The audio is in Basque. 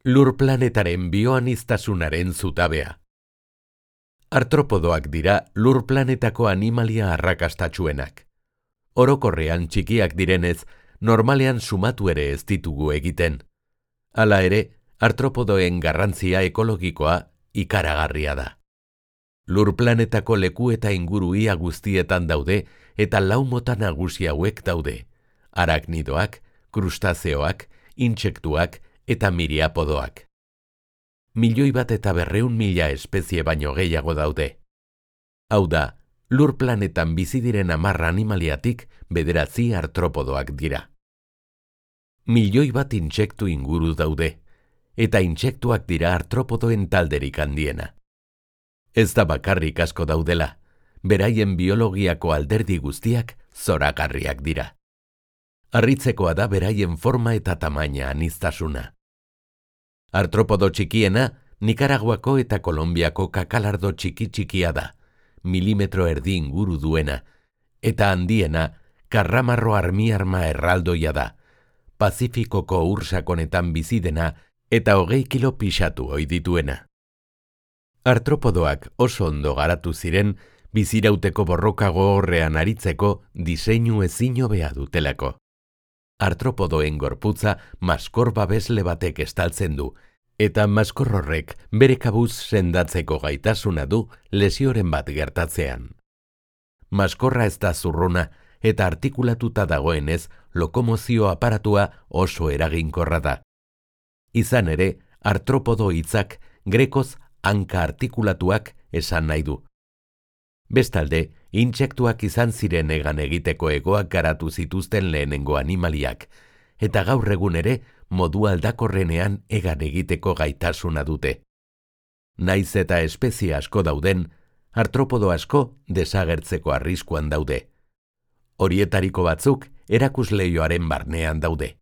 Lur planetaren bioaniztasunaren zutabea. Artropodoak dira lur planetako animalia arrakastatsuenak. Orokorrean txikiak direnez, normalean sumatu ere ez ditugu egiten. Hala ere, artropodoen garrantzia ekologikoa ikaragarria da. Lur planetako leku eta inguru ia guztietan daude eta lau mota nagusi hauek daude: araknidoak, krustazeoak, intsektuak eta miriapodoak. 1.200.000 espezie baino gehiago daude. Hau da, lur planetan bizi diren 10 animaliatik 9 artropodoak dira. 1.000.000 intsektu inguru daude, eta intsektuak dira artropodoen talderik handiena. Ez da bakarrik asko daudela, beraien biologiako alderdi guztiak zoragarriak dira. Harritzekoa da beraien forma eta tamaina aniztasuna. Artropodo txikiena Nikaraguako eta Kolonbiako kakalardo txiki-txikia da, 1,5 milimetro inguru duena, eta handiena karramarro armiarma erraldoia da, Pazifikoko ur sakonetan bizi dena eta 20 kilo pixatu ohi dituena. Artropodoak oso ondo garatu ziren bizirauteko borroka gogorrean aritzeko diseinu ezin hobea dutelako. Artropodoen gorputza maskor babesle batek estaltzen du, eta maskor horrek bere kabuz sendatzeko gaitasuna du lesioren bat gertatzean. Maskorra ez da zurruna eta artikulatuta dagoenez lokomozio aparatua oso eraginkorra da. Izan ere, artropodo hitzak grekoz hanka artikulatuak esan nahi du. Bestalde, intsektuak izan ziren hegan egiteko hegoak garatu zituzten lehenengo animaliak, eta gaur egun ere modu aldakorrenean hegan egiteko gaitasuna dute. Naiz eta espezie asko dauden, artropodo asko desagertzeko arriskuan daude. Horietariko batzuk erakusleioaren barnean daude.